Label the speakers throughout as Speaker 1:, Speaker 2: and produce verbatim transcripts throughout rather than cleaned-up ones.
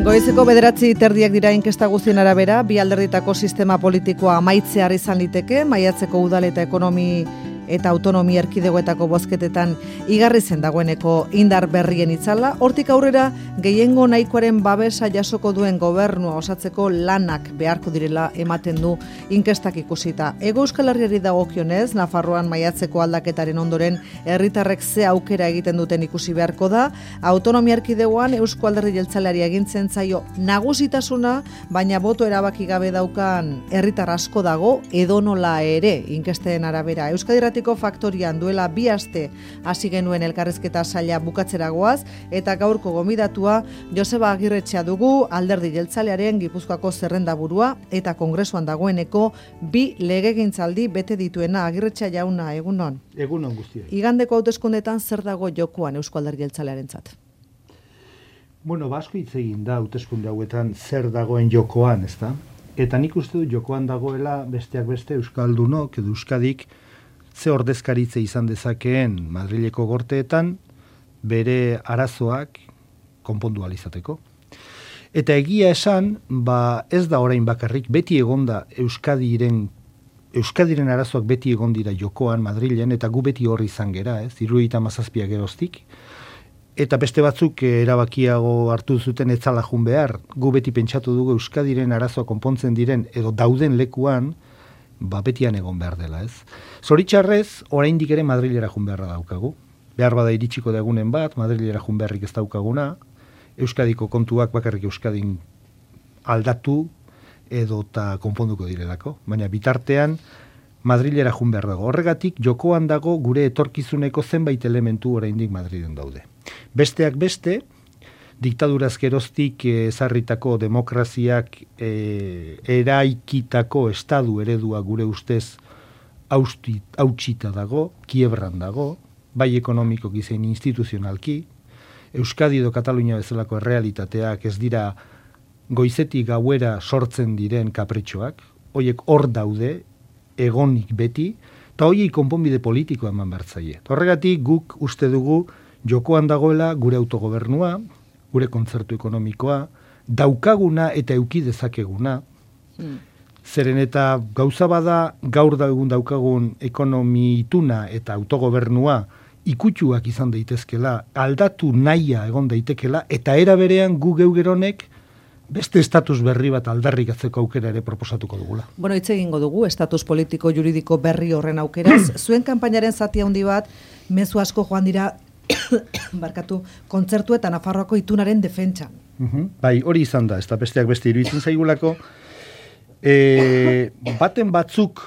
Speaker 1: Goizeko bederatzi terdiak dira inkesta guztien arabera, bi alderditako sistema politikoa amaitzear izan liteke, maiatzeko udal eta ekonomi eta autonomi erkidegoetako bozketetan igarri zen dagoeneko indar berrien itzala, hortik aurrera gehiengo nahikoaren babesa jasoko duen gobernua osatzeko lanak beharko direla ematen du inkestak ikusita. Hego Euskal Herriari dagokionez, Nafarroan maiatzeko aldaketaren ondoren herritarrek ze aukera egiten duten ikusi beharko da, autonomia erkidegoan Eusko Alderdi Jeltzaleari egintzen zaio nagusitasuna, baina boto erabaki gabe daukan herritar asko dago edonola ere inkesten arabera. Euskadi Irratiko Faktorian duela bi aste hasi genuen elkarrizketa saila bukatzeragoaz eta gaurko gomidatua Joseba Agirretxea dugu, Alderdi Jeltzalearen Gipuzkoako zerrendaburua eta kongresuan dagoeneko bi legegintzaldi bete dituena. Agirretxea jauna, egunon.
Speaker 2: Egunon guztiak.
Speaker 1: Igandeko hauteskundetan zer dago jokoan Eusko Alderdi Jeltzalearentzat?
Speaker 2: Bueno, basko hitz egin da hauteskunde hauetan zer dagoen jokoan, ezta? Eta nik uste dut jokoan dagoela besteak beste Euskaldunok edo Euskadik ze ordezkaritze izan dezakeen Madrileko gorteetan bere arazoak konpondu ahal izateko. Eta egia esan, ba ez da orain bakarrik, beti egonda Euskadiren Euskadiren arazoak beti egon dira jokoan Madrilen, eta gu beti horri izan gera, ez? hirurogeita hamazazpi geroztik. Eta beste batzuk erabakiago hartu zuten etzala jun behar. Gu beti pentsatu dugu Euskadiren arazoak konpontzen diren edo dauden lekuan, ba betian egon behar dela, ez? Zoritxarrez, oraindik ere Madrilera jun beharra daukagu. Behar bada iritsiko dagunen bat, Madrilera jun beharrik ez daukaguna, Euskadiko kontuak bakarrik Euskadin aldatu edo eta konponduko direlako. Baina bitartean, Madrilera jun behar dago. Horregatik, jokoan dago gure etorkizuneko zenbait elementu oraindik Madriden daude. Besteak beste, diktaduraz geroztik ezarritako demokraziak e, eraikitako estadu eredua gure ustez hautsita dago, kiebran dago, bai ekonomikoki zein instituzionalki. Euskadi edo Katalunia bezalako errealitateak ez dira goizetik gauera sortzen diren kapritxoak, hoiek hor daude, egonik beti, eta hoiei konponbide politikoa eman bertzaie. Horregatik guk uste dugu jokoan dagoela gure autogobernua, gure kontzertu ekonomikoa, daukaguna eta euki dezakeguna. Mm. Zeren eta gauza bada gaur da egun daukagun ekonomi ituna eta autogobernua ikutsuak izan daitezkela, aldatu nahia egon daitekela, eta era berean gu geugeronek beste estatus berri bat aldarrikatzeko aukera ere proposatuko dugula.
Speaker 1: Bueno, hitz egingo dugu, estatus politiko juridiko berri horren aukeraz. Zuen kanpainaren zati handi bat, mezu asko joan dira barkatu, kontzertu eta Nafarroako itunaren defentsan.
Speaker 2: Uh-huh. Bai, hori izan da, ez da besteak beste iruditzen zaigulako. E, baten batzuk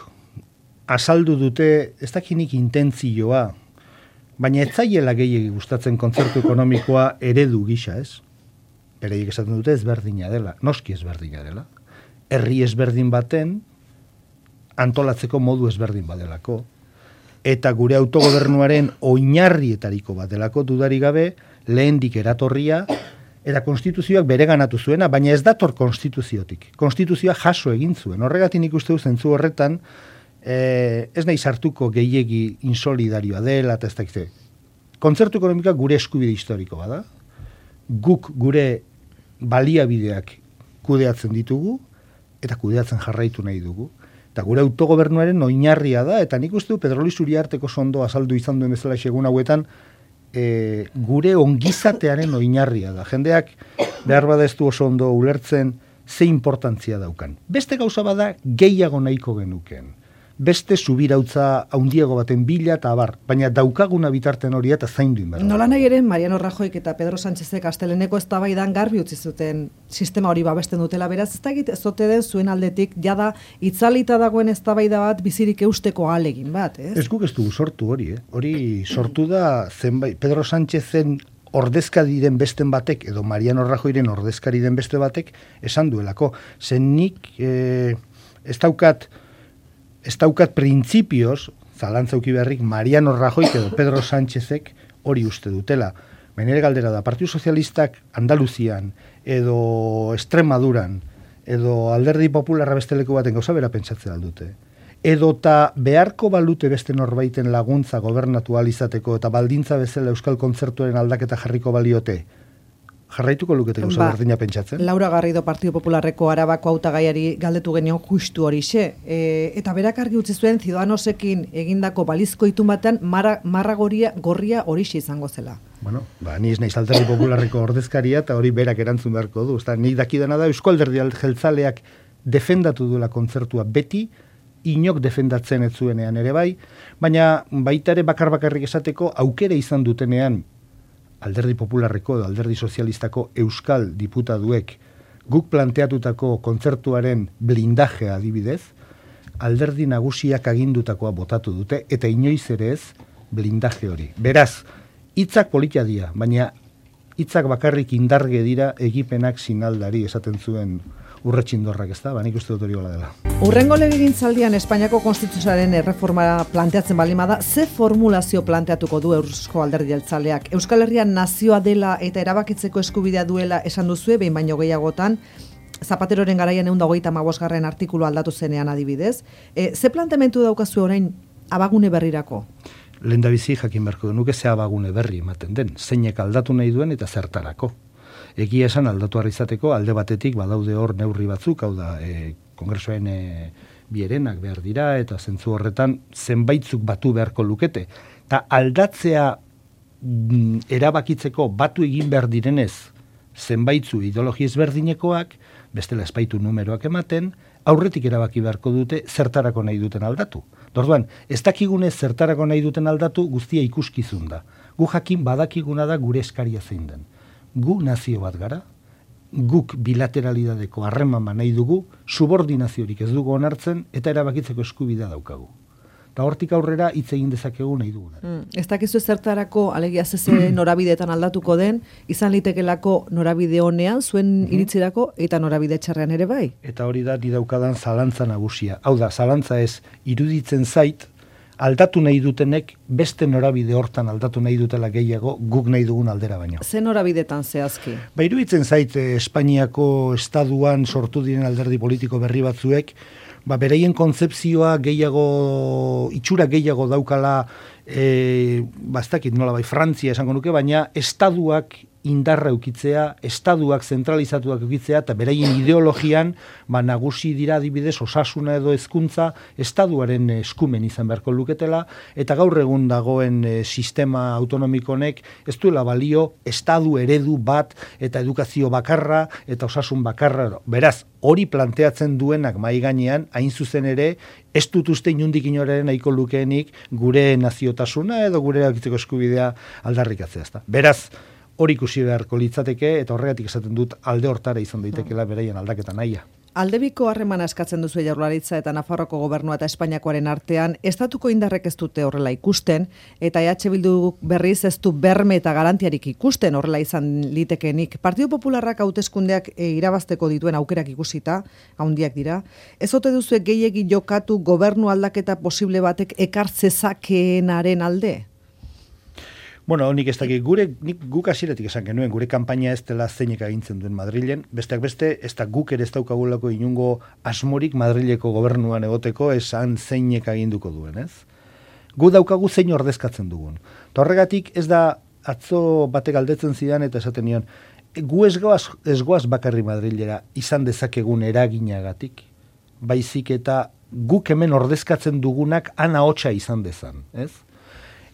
Speaker 2: azaldu dute, ez dakinik intentzioa, baina ez zaiela gehiegi gustatzen kontzertu ekonomikoa eredu gisa, ez? Bereiek esaten dute ezberdina dela, noski ezberdina dela. Herri ezberdin baten antolatzeko modu ezberdin badelako. Eta gure autogobernuaren oinarrietariko bat delako dudari gabe, lehendik eratorria, eta konstituzioak bereganatu zuena, baina ez dator konstituziotik. Konstituzioa jaso egin zuen. Horregatik nik uste du zentzu horretan, eh, ez nahi sartuko gehiegi insolidarioa dela, eta ez dakite. Kontzertu ekonomika gure eskubide historiko bada, guk gure baliabideak kudeatzen ditugu, eta kudeatzen jarraitu nahi dugu. Eta gure autogobernuaren oinarria da, eta nik uste du Pedroli Zuriarteko sondo azaldu izan duen bezala segun hauetan, e, gure ongizatearen oinarria da. Jendeak behar bada ez du oso ondo ulertzen ze importantzia daukan. Beste gauza bada gehiago nahiko genuken. Beste subirautza haundiago baten bila eta abar, baina daukaguna bitarten hori eta zaindu inberda.
Speaker 1: Nola nahi ere, Mariano Rajoyk eta Pedro Sánchezek asteleneko eztabaidan garbi utzi zuten sistema hori babesten dutela, beraz ez dakit ez ote den zuen aldetik jada itzalita dagoen eztabaida bat bizirik eusteko ahalegin bat, ez?
Speaker 2: Ez guk ez dugu sortu hori, eh? Hori sortu da zenbait Pedro Sánchezen ordezkari den besten batek edo Mariano Rajoyren ordezkari den beste batek esan duelako. Zen nik eh, ez daukat Ez daukat printzipioz, zalantzauki beharrik, Mariano Rajoy edo Pedro Sánchezek hori uste dutela. Baina galdera da, Partidu Sozialistak Andaluzian, edo Extremaduran, edo Alderdi Popularra beste leku baten gauza bera pentsatzea aldute. Edo eta beharko balute beste norbaiten laguntza gobernatu ahal izateko eta baldintza bezala Euskal Kontzertuaren aldaketa jarriko baliote, jarraituko lukete gauza ba, berdina pentsatzen.
Speaker 1: Laura Garrido Partido Popularreko Arabako hautagaiari galdetu genion justu horixe. E, eta berak argi utzi zuen Ciudadanosekin egindako balizko itun batean marra, marra goria, gorria horixe izango zela.
Speaker 2: Bueno, ba, ni ez naiz Alderdi Popularreko ordezkaria eta hori berak erantzun beharko du. Ezta, nik dakidana da Eusko Alderdi Jeltzaleak defendatu duela kontzertua beti, inok defendatzen ez zuenean ere bai, baina baita ere bakar bakarrik esateko aukera izan dutenean Alderdi Popularreko edo Alderdi Sozialistako euskal diputaduek guk planteatutako kontzertuaren blindajea adibidez, alderdi nagusiak agindutakoa botatu dute eta inoiz ere ez blindaje hori. Beraz, hitzak politia dira, baina hitzak bakarrik indarge dira egipenak sinaldari esaten zuen Urretxindorrak, ez da? Ba, nik uste dut hori gola dela.
Speaker 1: Urrengo legegintzaldian Espainiako konstituzioaren erreforma planteatzen balima da, ze formulazio planteatuko du Eusko Alderdi Jeltzaleak? Euskal Herrian nazioa dela eta erabakitzeko eskubidea duela esan duzue, behin baino gehiagotan, Zapateroren garaian ehun eta hogeita hamabosgarren artikulu aldatu zenean adibidez. E, ze planteamentu daukazu orain abagune berrirako?
Speaker 2: Lehendabizi jakin beharko nuke ze abagune berri ematen den, zeinek aldatu nahi duen eta zertarako. Egia esan aldatu izateko alde batetik badaude hor neurri batzuk, hau da, e, kongresoen e, bierenak behar dira, eta zentzu horretan zenbaitzuk batu beharko lukete. Eta aldatzea mm, erabakitzeko batu egin behar direnez zenbaitzu ideologi ezberdinekoak, bestela espaitu numeroak ematen, aurretik erabaki beharko dute zertarako nahi duten aldatu. Orduan, ez dakigune zertarako nahi duten aldatu guztia ikuskizun da. Gu jakin badakiguna da gure eskaria zein den. Gu nazio bat gara, guk bilateralidadeko harremama nahi dugu, subordinaziorik ez dugu onartzen eta erabakitzeko eskubidea daukagu. Eta hortik aurrera hitz egin dezakegu nahi duguna.
Speaker 1: Mm, ez dakizu zertarako alegia zeze norabideetan aldatuko den, izan litekelako norabide honean, zuen iritzirako eta norabide txarrean ere bai.
Speaker 2: Eta hori da, di daukadan zalantza nagusia. Hau da, zalantza ez iruditzen zait, aldatu nahi dutenek beste norabide hortan aldatu nahi dutela gehiago guk nahi dugun aldera baino.
Speaker 1: Ze norabidetan zehazki?
Speaker 2: Ba, iruditzen zait eh, Espainiako estaduan sortu diren alderdi politiko berri batzuek, ba, bereien kontzepzioa gehiago, itxura gehiago daukala, e, bastakit nola bai, Frantzia esango nuke, baina estaduak indarra eukitzea, estaduak zentralizatuak eukitzea, eta beraien ideologian, ba, nagusi dira adibidez osasuna edo hezkuntza estaduaren eskumen izan beharko luketela, eta gaur egun dagoen e, sistema autonomikonek ez duela balio estadu eredu bat, eta edukazio bakarra, eta osasun bakarra. Beraz, hori planteatzen duenak mai gainean, hain zuzen ere, ez dut uste inundik inoraren nahiko lukeenik gure naziotasuna edo gure erabakitzeko eskubidea aldarrikatzea. Ezta? Beraz, hori ikusi beharko litzateke eta horregatik esaten dut alde hortara izan daitekeela beraien aldaketa nahia.
Speaker 1: Aldebiko harremana eskatzen duzu Jaurlaritza eta Nafarroako gobernua eta Espainiakoaren artean, estatuko indarrek ez dute horrela ikusten, eta E H Bildu berriz ez du berme eta garantiarik ikusten horrela izan litekenik. Partido Popularrak hauteskundeak e, irabazteko dituen aukerak ikusita, handiak dira, ez ote duzu gehiegi jokatu gobernu aldaketa posible batek ekartzezakeenaren alde?
Speaker 2: Bueno, nik ez dakit, gure, nik guk hasieratik esan genuen, gure kanpaina ez dela zeinek agintzen duen Madrilen, besteak beste, ez da guk ere ez daukagulako inungo asmorik Madrileko gobernuan egoteko esan zeinek aginduko duen, ez? Gu daukagu zein ordezkatzen dugun. Ta horregatik ez da atzo batek galdetzen zidan eta esaten nion, gu ez goaz, ez goaz bakarri Madrilera izan dezakegun eraginagatik, baizik eta guk hemen ordezkatzen dugunak ana hotsa izan dezan, ez?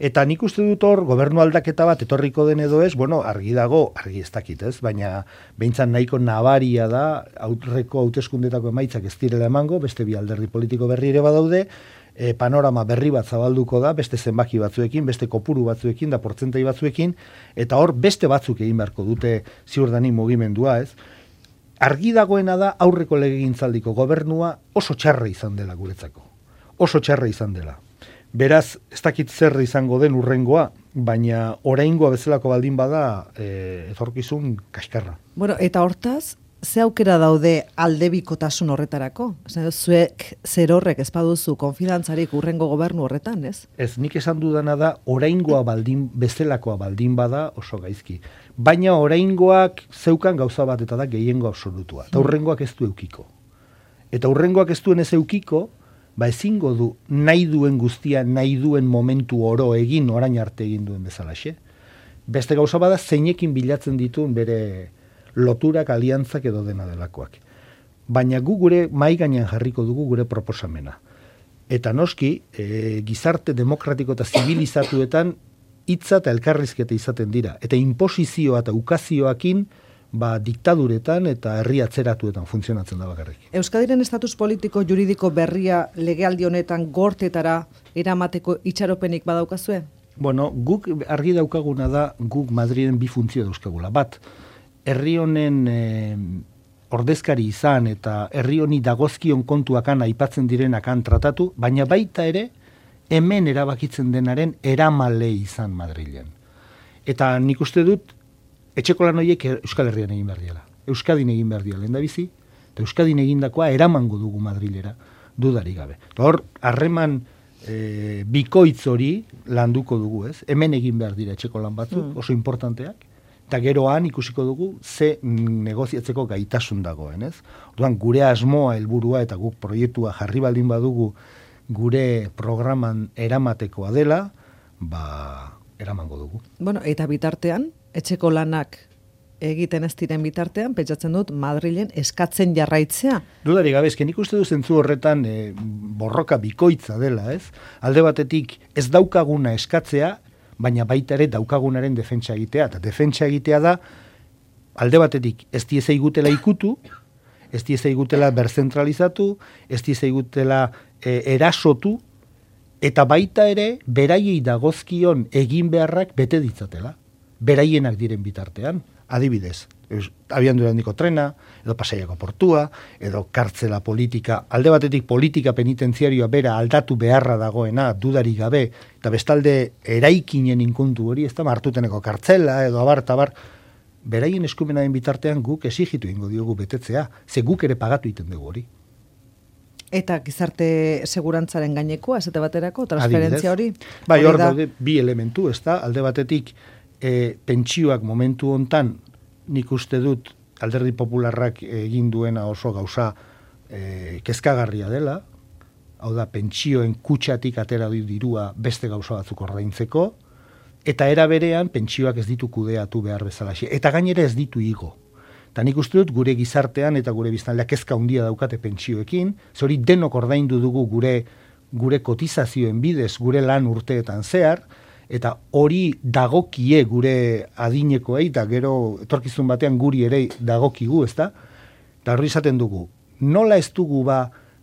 Speaker 2: Eta nik uste dut hor, gobernu aldaketa bat etorriko den edo ez, bueno, argi dago, argi ez dakit, ez? Baina behintzat nahiko nabaria da, aurreko hauteskundetako emaitzak ez direla emango, beste bi alderdi politiko berri ere badaude, e, panorama berri bat zabalduko da, beste zenbaki batzuekin, beste kopuru batzuekin, da portzentai batzuekin, eta hor beste batzuk egin beharko dute ziurdanik mugimendua, ez? Argi dagoena da aurreko legegintzaldiko gobernua oso txarra izan dela guretzako. Oso txarra izan dela. Beraz, ez dakit zer izango den urrengoa, baina oraingoa bezalako baldin bada e, etorkizun kaskarra.
Speaker 1: Bueno, eta hortaz, ze aukera daude aldebikotasun horretarako? Zuek zer horrek ez baduzu konfidantzarik urrengo gobernu horretan, ez?
Speaker 2: Ez, nik esan dudana da, oraingoa baldin, bezalakoa baldin bada oso gaizki. Baina oraingoak zeukan gauza bat eta da gehiengo absolutua. Eta urrengoak ez du eukiko. Eta urrengoak ez duen ez eukiko, ba ezingo du nahi duen guztia, nahi duen momentu oro egin, orain arte egin duen bezalaxe. Beste gauza bada zeinekin bilatzen dituen bere loturak, aliantzak edo dena delakoak. Baina gu gure mahai gainean jarriko dugu gure proposamena. Eta noski, e, gizarte demokratiko eta zibilizatuetan hitza eta elkarrizketa izaten dira. Eta inposizioa eta ukazioakin ba, diktaduretan eta herri atzeratuetan funtzionatzen da bakarrik.
Speaker 1: Euskadiren estatus politiko juridiko berria legealdi honetan gortetara eramateko itxaropenik badaukazue?
Speaker 2: Bueno, guk argi daukaguna da guk Madriden bi funtzio dauzkagula. Bat, herri honen e, ordezkari izan eta herri honi dagozkion kontuakan aipatzen direnakan tratatu, baina baita ere hemen erabakitzen denaren eramale izan Madrilen. Eta nik uste dut etxeko lan horiek Euskal Herrian egin behar diala. Euskadin egin behar diala, lehendabizi, eta Euskadin egindakoa eramango dugu Madrilera, dudarik gabe. Hor, harreman e, bikoitz hori landuko dugu, ez? Hemen egin behar dira etxeko lan batzuk, mm. oso importanteak, eta geroan ikusiko dugu ze negoziatzeko gaitasun dagoen, ez? Orduan, gure asmoa, helburua eta guk proiektua jarri baldin badugu gure programan eramatekoa dela, ba, eramango dugu.
Speaker 1: Bueno, eta bitartean, etxeko lanak egiten ez diren bitartean, pentsatzen dut Madrilen eskatzen jarraitzea.
Speaker 2: Dudarik gabe, nik uste du zentzu horretan e, borroka bikoitza dela, ez? Alde batetik ez daukaguna eskatzea, baina baita ere daukagunaren defentsa egitea. Eta defentsa egitea da, alde batetik ez diezei gutela ikutu, ez diezei gutela berzentralizatu, ez diezei gutela e, erasotu, eta baita ere beraiei dagozkion egin beharrak bete ditzatela. Beraienak diren bitartean, adibidez, abiadura handiko trena, edo Pasaiako portua, edo kartzela politika, alde batetik politika penitenziarioa bera aldatu beharra dagoena, dudarik gabe, eta bestalde eraikinen inkontu hori, ez da, Martuteneko kartzela, edo abar, tabar, beraien eskumenaren bitartean guk exigitu ingo diogu betetzea, ze guk ere pagatu iten dugu hori.
Speaker 1: Eta gizarte segurantzaren gainekoa, esate baterako, transferentzia hori?
Speaker 2: Bai, hor daude bi elementu, ez da, alde batetik, E, pentsioak momentu hontan nik uste dut Alderdi Popularrak egin duena oso gauza e, kezkagarria dela, hau da pentsioen kutxatik atera du dirua beste gauza batzuk ordaintzeko, eta era berean pentsioak ez ditu kudeatu behar bezalaxe, eta gainera ez ditu igo. Eta nik uste dut gure gizartean eta gure biztanleak kezka handia daukate pentsioekin, zori denok ordaindu dugu gure, gure kotizazioen bidez, gure lan urteetan zehar, eta hori dagokie gure adinekoei, eta gero etorkizun batean guri ere dagokigu, ezta? Eta hori izaten dugu, nola ez dugu ba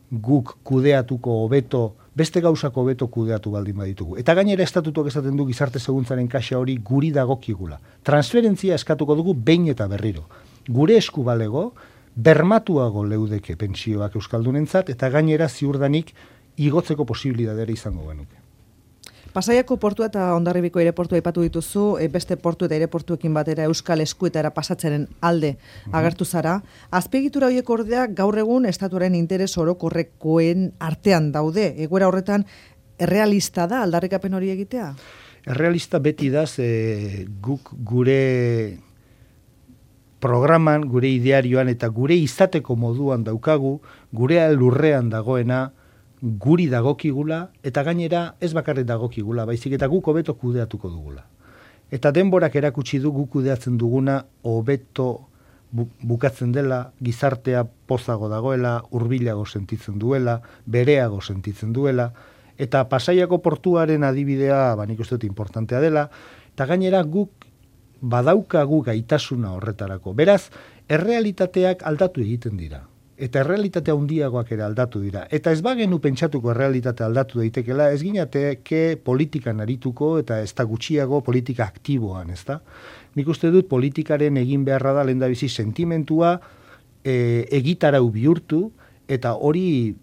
Speaker 2: guk kudeatuko hobeto, beste gauzako hobeto kudeatu baldin baditugu. Eta gainera estatutuak esaten du gizarte seguntzaren kaxa hori guri dagokigula. Transferentzia eskatuko dugu behin eta berriro. Gure esku balego, bermatuago leudeke pentsioak euskaldunentzat, eta gainera ziurdanik igotzeko posibilitatea izango genuke.
Speaker 1: Pasaiako portua eta Hondarribiko aireportua aipatu dituzu, beste portu eta aireportuekin batera Euskal Eskuetara pasatzeren alde agertu zara. Azpiegitura horiek ordea gaur egun estatuaren interes orokorrekoen artean daude. Egoera horretan errealista da aldarrikapen hori egitea?
Speaker 2: Errealista beti da, ze guk gure programan, gure idearioan eta gure izateko moduan daukagu, gure lurrean dagoena, guri dagokigula, eta gainera ez bakarrik dagokigula, baizik eta guk hobeto kudeatuko dugula. Eta denborak erakutsi du guk kudeatzen duguna hobeto bu, bukatzen dela, gizartea pozago dagoela, hurbilago sentitzen duela, bereago sentitzen duela, eta Pasaiako portuaren adibidea, ba, nik uste dut importantea dela, eta gainera guk badaukagu gaitasuna horretarako. Beraz, errealitateak aldatu egiten dira. Eta errealitatea handiagoak ere aldatu dira. Eta ez bagenu pentsatuko errealitatea aldatu daitekela, ez ginateke politikan arituko eta ez da gutxiago politika aktiboan, ez da? Nik uste dut politikaren egin beharra da lehendabizi sentimentua e, egitarau bihurtu eta hori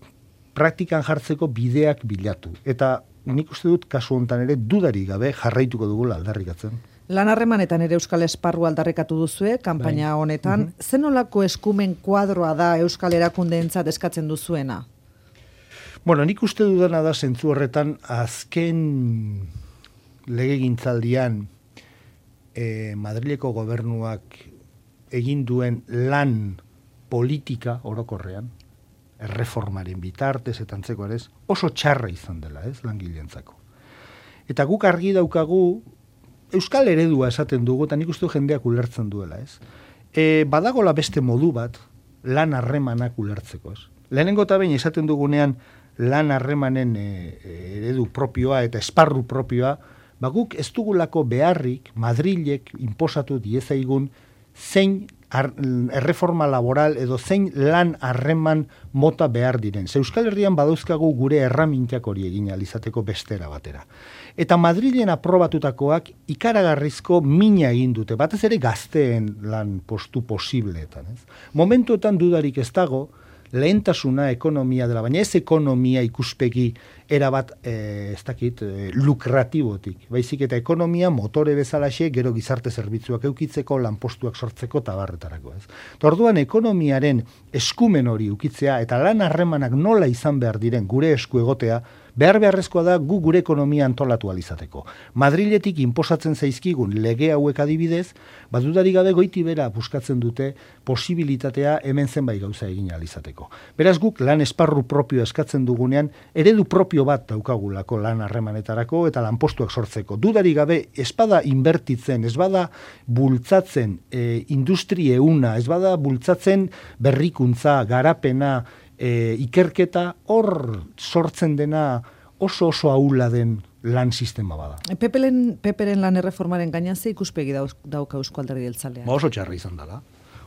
Speaker 2: praktikan jartzeko bideak bilatu. Eta nik uste dut kasu honetan ere dudarik gabe jarraituko dugula aldarrikatzen.
Speaker 1: Lan harremanetan ere Euskal Esparru aldarrikatu duzue, kanpaina honetan. Mm -hmm. Zenolako eskumen kuadroa da Euskal erakundeentzat eskatzen duzuena?
Speaker 2: Bueno, nik uste dudana da zentzu horretan azken legegintzaldian eh, Madrileko gobernuak egin duen lan politika orokorrean, erreformaren bitartez eta antzeko ere oso txarra izan dela, ez, langileentzako. Eta guk argi daukagu euskal eredua esaten dugu, eta nik uste jendeak ulertzen duela, ez? E, badagola beste modu bat, lan harremanak ulertzeko, ez? Lehenengo eta behin esaten dugunean, lan harremanen e, eredu propioa eta esparru propioa, ba guk ez dugulako beharrik, Madrilek inposatu diezaigun, zein erreforma laboral edo zein lan harreman mota behar diren. Ze Euskal Herrian badauzkagu gure erramintak hori egin alizateko bestera batera. Eta Madrilen aprobatutakoak ikaragarrizko mina egin dute, batez ere gazteen lan postu posibleetan. Ez? Momentuetan dudarik ez dago, lehentasuna ekonomia dela, baina ez ekonomia ikuspegi erabat, eh, ez dakit, eh, lukratibotik. Baizik eta ekonomia motore bezalaxe gero gizarte zerbitzuak eukitzeko, lanpostuak sortzeko tabarretarako. Ez. Orduan ekonomiaren eskumen hori ukitzea eta lan harremanak nola izan behar diren gure esku egotea, behar beharrezkoa da gu gure ekonomia antolatu alizateko. Madriletik inposatzen zaizkigun lege hauek adibidez, badudari gabe goiti bera buskatzen dute posibilitatea hemen zenbait gauza egin alizateko. Beraz guk lan esparru propio eskatzen dugunean, eredu propio bat daukagulako lan harremanetarako eta lanpostuak sortzeko. Dudari gabe espada inbertitzen, ez bada bultzatzen e, industri euna, ez bada bultzatzen berrikuntza, garapena, E, ikerketa, hor sortzen dena oso oso ahula den lan sistema bada.
Speaker 1: Peperen, Peperen lan erreformaren gainean ze ikuspegi dauka Eusko Alderdi Jeltzaleak?
Speaker 2: Ba oso txarra izan dela.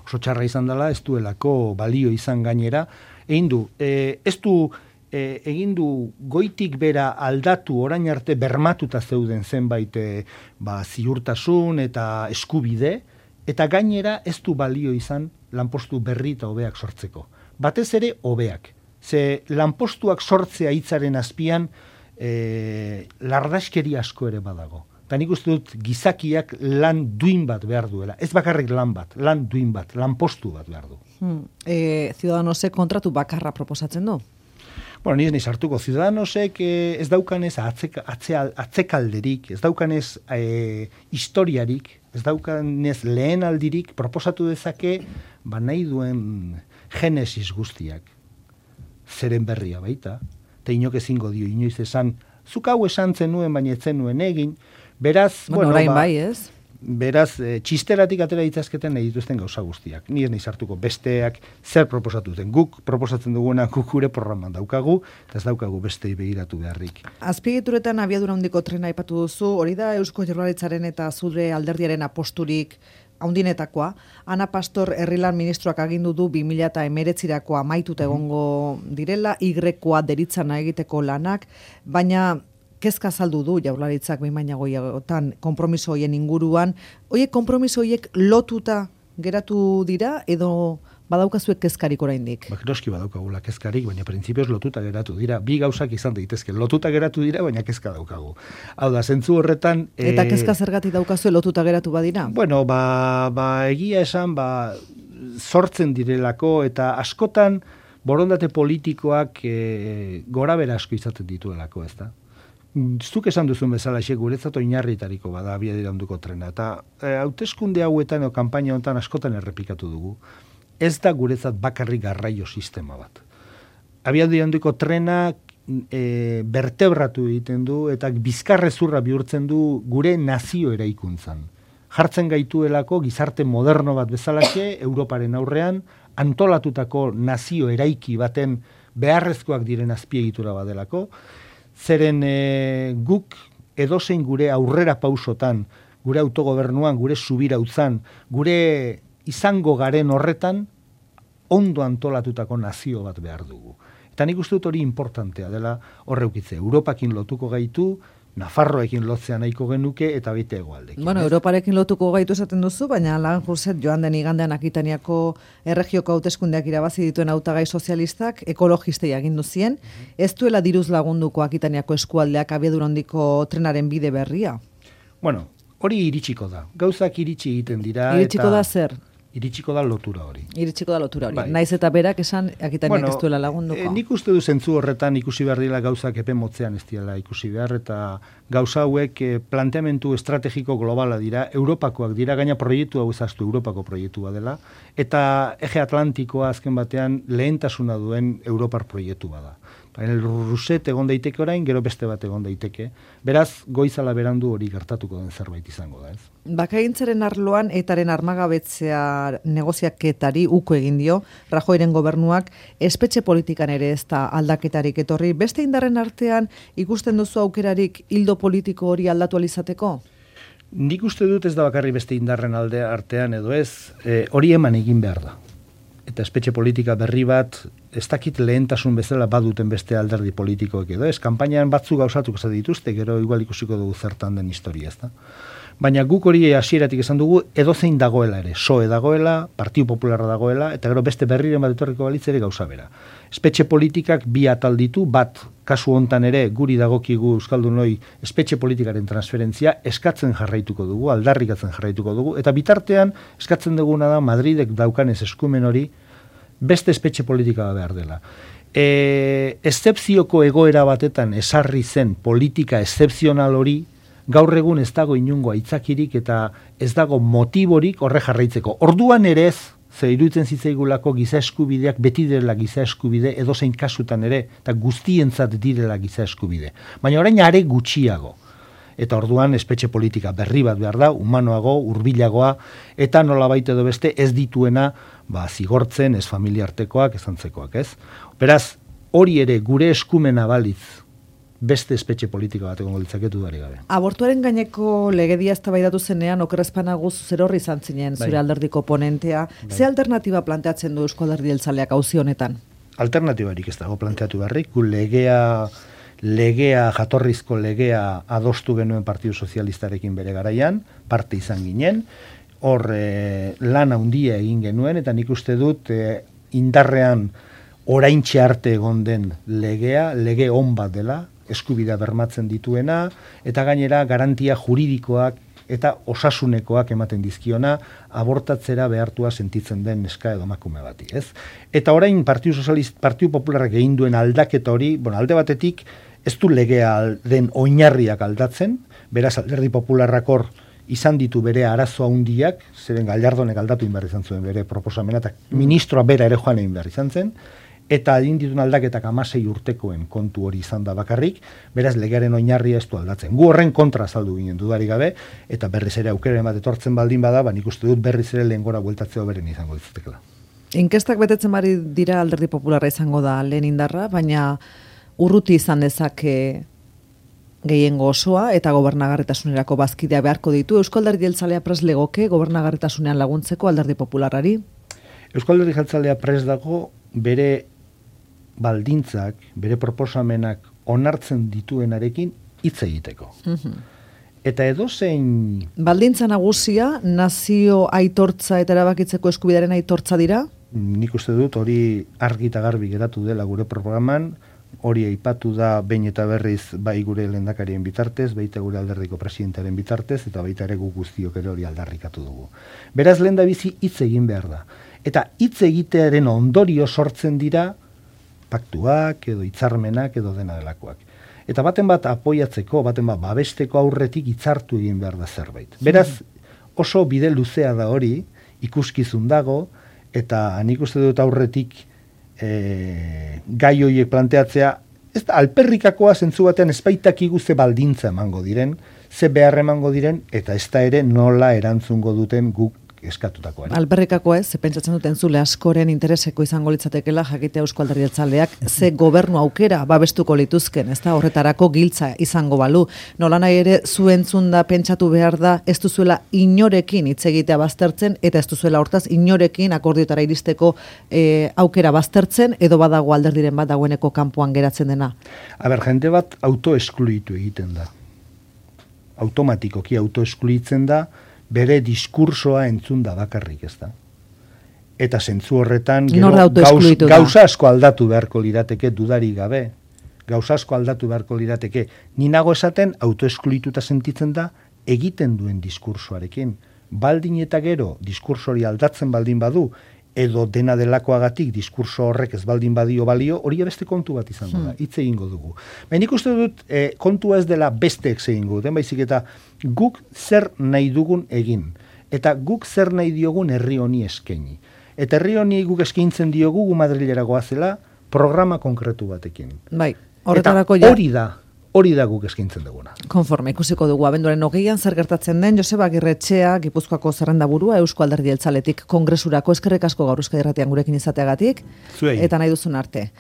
Speaker 2: Oso txarra izan dela, ez duelako balio izan gainera. Egin du, e, ez du e, egin du goitik bera aldatu orain arte bermatuta zeuden zenbait e, ba, ziurtasun eta eskubide, eta gainera ez du balio izan lanpostu berri eta hobeak sortzeko. Batez ere hobeak. Ze lanpostuak sortzea hitzaren azpian e, lardaskeri asko ere badago. Eta nik uste dut gizakiak lan duin bat behar duela. Ez bakarrik lan bat, lan duin bat, lanpostu bat behar du.
Speaker 1: Hmm. E, Ciudadanosek kontratu bakarra proposatzen du?
Speaker 2: Bueno, nire niz hartuko, Ciudadanosek eh, ez daukanez atzek, atzea, atzekalderik, ez daukanez eh, historiarik, ez daukanez lehen aldirik, proposatu dezake, ba nahi duen genesis guztiak. Zeren berria baita, eta inok ezingo dio, inoiz esan, zuk hau esan zenuen, baina ez zenuen egin, beraz,
Speaker 1: bueno,
Speaker 2: bueno, ba,
Speaker 1: bai, ez?
Speaker 2: Beraz, e, txisteratik atera ditzazketen nahi dituzten gauza guztiak. Ni ez nahi sartuko besteak zer proposatu den. Guk proposatzen duguna guk gure programan daukagu, eta ez daukagu bestei begiratu beharrik.
Speaker 1: Azpiegituretan abiadura handiko trena aipatu duzu, hori da Eusko Jaurlaritzaren eta zure alderdiaren aposturik haundinetakoa. Ana Pastor herrilan ministroak agindu du bi mila hemeretzirako amaituta egongo direla, igrekoa deritzana egiteko lanak, baina kezka azaldu du Jaurlaritzak behin baina goietan konpromiso hoien inguruan. Hoiek konpromiso hoiek lotuta geratu dira edo badaukazuek kezkarik oraindik?
Speaker 2: Ba, noski badaukagula kezkarik, baina printzipioz lotuta geratu dira. Bi gauzak izan daitezke. Lotuta geratu dira, baina kezka daukagu. Hau da, zentzu horretan...
Speaker 1: Eta kezka zergatik daukazue lotuta geratu badira?
Speaker 2: Bueno, ba, ba egia esan, ba, sortzen direlako, eta askotan borondate politikoak e, gora bera asko izaten dituelako, ez da? Zuk esan duzun bezala xe guretzat oinarritariko bada abiadura handiko trena. Eta e, hauteskunde hauetan o kanpaina honetan askotan errepikatu dugu. Ez da guretzat bakarrik garraio sistema bat. Abiadura handiko trena e, bertebratu egiten du eta bizkarrezurra bihurtzen du gure nazio eraikuntzan. Jartzen gaituelako gizarte moderno bat bezalaxe Europaren aurrean antolatutako nazio eraiki baten beharrezkoak diren azpiegitura badelako. Zeren e, guk edozein gure aurrera pausotan, gure autogobernuan, gure subirautzan, gure izango garen horretan, ondo antolatutako nazio bat behar dugu. Eta nik uste dut hori importantea dela horreukitze. Europakin lotuko gaitu, Nafarroekin lotzea nahiko genuke eta baita hegoaldekin.
Speaker 1: Bueno, Europarekin lotuko gaitu esaten duzu, baina Lan Jurset joan den igandean Akitaniako erregioko hauteskundeak irabazi dituen hautagai sozialistak ekologistei agindu zien, ez duela diruz lagunduko Akitaniako eskualdeak abiadura handiko trenaren bide berria?
Speaker 2: Bueno, hori iritsiko da. Gauzak iritsi egiten dira.
Speaker 1: Iritsiko
Speaker 2: eta...
Speaker 1: da zer?
Speaker 2: Iritsiko da lotura hori.
Speaker 1: Iritsiko da lotura hori.
Speaker 2: Bai.
Speaker 1: Naiz eta berak esan Akitaniak bueno, ez duela lagunduko.
Speaker 2: E, nik uste du zentzu horretan ikusi behar dira gauzak epe motzean ez dira ikusi behar, eta gauza hauek e, planteamentu estrategiko globala dira, Europakoak dira, gaina proiektu hau ezaztu Europako proiektua dela, eta eje Atlantikoa azken batean lehentasuna duen Europar proiektu bada. Panel Rousset egon daiteke orain, gero beste bat egon daiteke. Beraz, goizala berandu hori gertatuko den zerbait izango da, ez?
Speaker 1: Bakagintzaren arloan etaren armagabetzea negoziaketari uko egin dio, Rajoyren gobernuak espetxe politikan ere ez da aldaketarik etorri. Beste indarren artean ikusten duzu aukerarik hildo politiko hori aldatu alizateko?
Speaker 2: Nik uste dut ez da bakarri beste indarren alde artean edo ez, e, hori eman egin behar da. Eta espetxe politika berri bat, ez dakit lehentasun bezala baduten beste alderdi politikoek edo ez, kanpainan batzuk gauzatuko ez dituzte, gero igual ikusiko dugu zertan den historia, ez da. Baina guk hori hasieratik esan dugu, edozein dagoela ere, S O E dagoela, Partidu Popularra dagoela, eta gero beste berriren bat etorriko balitz ere gauza bera. Espetxe politikak bi atal ditu, bat, kasu hontan ere, guri dagokigu euskaldunoi espetxe politikaren transferentzia eskatzen jarraituko dugu, aldarrikatzen jarraituko dugu, eta bitartean eskatzen duguna da Madridek daukanez eskumen hori beste espetxe politika behar dela. E, Eszepzioko egoera batetan esarri zen politika eszepzional hori, gaur egun ez dago inungo aitzakirik eta ez dago motiborik horre jarraitzeko. Orduan ere ez, ze iruditzen zitzaigulako giza eskubideak beti direla giza eskubide, edozein kasutan ere, eta guztientzat direla giza eskubide. Baina orain are gutxiago. Eta orduan espetxe politika berri bat behar da, humanoago, hurbilagoa, eta nolabait edo beste ez dituena ba, zigortzen, ez familiartekoak, ez antzekoak, ez? Beraz, hori ere gure eskumena balitz, beste espetxe politika bat egongo litzaketu dari gabe.
Speaker 1: Abortuaren gaineko legedia eztabaidatu zenean okerrezpanagu zerorri izan zinen zure bai. Alderdiko ponentea. Bai. Ze alternatiba planteatzen du Eusko Alderdi Jeltzaleak auzi honetan?
Speaker 2: Alternatibarik ez dago planteatu berrik, gu legea, legea, jatorrizko legea adostu genuen Partidu Sozialistarekin bere garaian, parte izan ginen, hor e, lan handia egin genuen, eta nik uste dut e, indarrean oraintxe arte egon den legea, lege on bat dela, eskubidea bermatzen dituena, eta gainera garantia juridikoak eta osasunekoak ematen dizkiona, abortatzera behartua sentitzen den neska edo emakume bati, ez? Eta orain Partidu Sozialista, Partidu Popularrak egin duen aldaketa hori, bueno, alde batetik ez du legea den oinarriak aldatzen, beraz Alderdi Popularrak hor izan ditu bere arazo handiak, zeren Gallardonek aldatu behar izan zuen bere proposamena, eta ministroa bera ere joan egin behar izan zen, eta egin ditun aldaketak hamasei urtekoen kontu hori izan da bakarrik, beraz legearen oinarria ez du aldatzen. Gu horren kontra azaldu ginen dudarik gabe, eta berriz ere aukeren bat etortzen baldin bada, ba nik uste dut berriz ere lehen gora bueltatzea beren izango ditzatekela.
Speaker 1: Inkestak betetzen bari dira Alderdi Popularra izango da lehen indarra, baina urruti izan dezake gehiengo osoa eta gobernagarritasunerako bazkidea beharko ditu. Eusko Alderdi Jeltzalea prest legoke gobernagarritasunean laguntzeko Alderdi Popularrari?
Speaker 2: Eusko Alderdi Jeltzalea prest dago bere baldintzak, bere proposamenak onartzen dituenarekin hitz egiteko. Uh-huh. Eta edozein...
Speaker 1: Baldintza nagusia, nazio aitortza eta erabakitzeko eskubidearen aitortza dira?
Speaker 2: Nik uste dut hori argi eta garbi geratu dela gure programan, hori aipatu da behin eta berriz bai gure lehendakarien bitartez, baita gure alderdiko presidentearen bitartez, eta baita ere guk guztiok ere hori aldarrikatu dugu. Beraz, lehendabizi hitz egin behar da. Eta hitz egitearen ondorio sortzen dira paktuak edo hitzarmenak edo dena delakoak. Eta baten bat apoiatzeko, baten bat babesteko aurretik hitzartu egin behar da zerbait. Beraz, oso bide luzea da hori, ikuskizun dago, eta nik uste dut aurretik e, gai horiek planteatzea, ez da, alperrikakoa zentzu batean espaitakigu ze baldintza emango diren, ze behar emango diren, eta ez da ere nola erantzungo duten guk eskatutakoa.
Speaker 1: Alberrikako ez, ze pentsatzen duten zule askoren intereseko izango litzatekela jakitea Eusko Alderdi Jeltzaleak ze gobernu aukera babestuko lituzken, ez da horretarako giltza izango balu. Nola nahi ere zuentzun da pentsatu behar da ez duzuela inorekin hitz egitea baztertzen eta ez duzuela hortaz inorekin akordiotara iristeko e, aukera baztertzen edo badago alderdiren bat dagoeneko kanpoan geratzen dena.
Speaker 2: Aber, jende bat autoeskluitu egiten da. Automatikoki autoeskluitzen da, bere diskursoa entzun da bakarrik, ez da. Eta zentzu horretan gero gauz, gauza asko aldatu beharko lirateke dudari gabe. Gauza asko aldatu beharko lirateke. Ni nago esaten autoeskluituta sentitzen da egiten duen diskursoarekin. Baldin eta gero diskurso hori aldatzen baldin badu edo dena delakoagatik diskurso horrek ez baldin badio balio, hori beste kontu bat izango da, hitz egingo dugu. Baina nik uste dut, e, kontua ez dela besteek egingo duten, baizik eta guk zer nahi dugun egin. Eta guk zer nahi diogun herri honi eskaini. Eta herri honi guk eskaintzen diogu gu Madrilera goazela, programa konkretu batekin.
Speaker 1: Bai, horretarako
Speaker 2: Eta
Speaker 1: ja.
Speaker 2: hori da, hori da guk eskaintzen duguna.
Speaker 1: Konforme, ikusiko dugu, abenduaren hogeian zer gertatzen den, Joseba Agirretxea, Gipuzkoako zerrendaburua, Eusko Alderdi Jeltzaletik kongresurako, eskerrik asko gaur Euskadi Irratian gurekin izateagatik,
Speaker 2: Zuei.
Speaker 1: eta nahi duzun arte.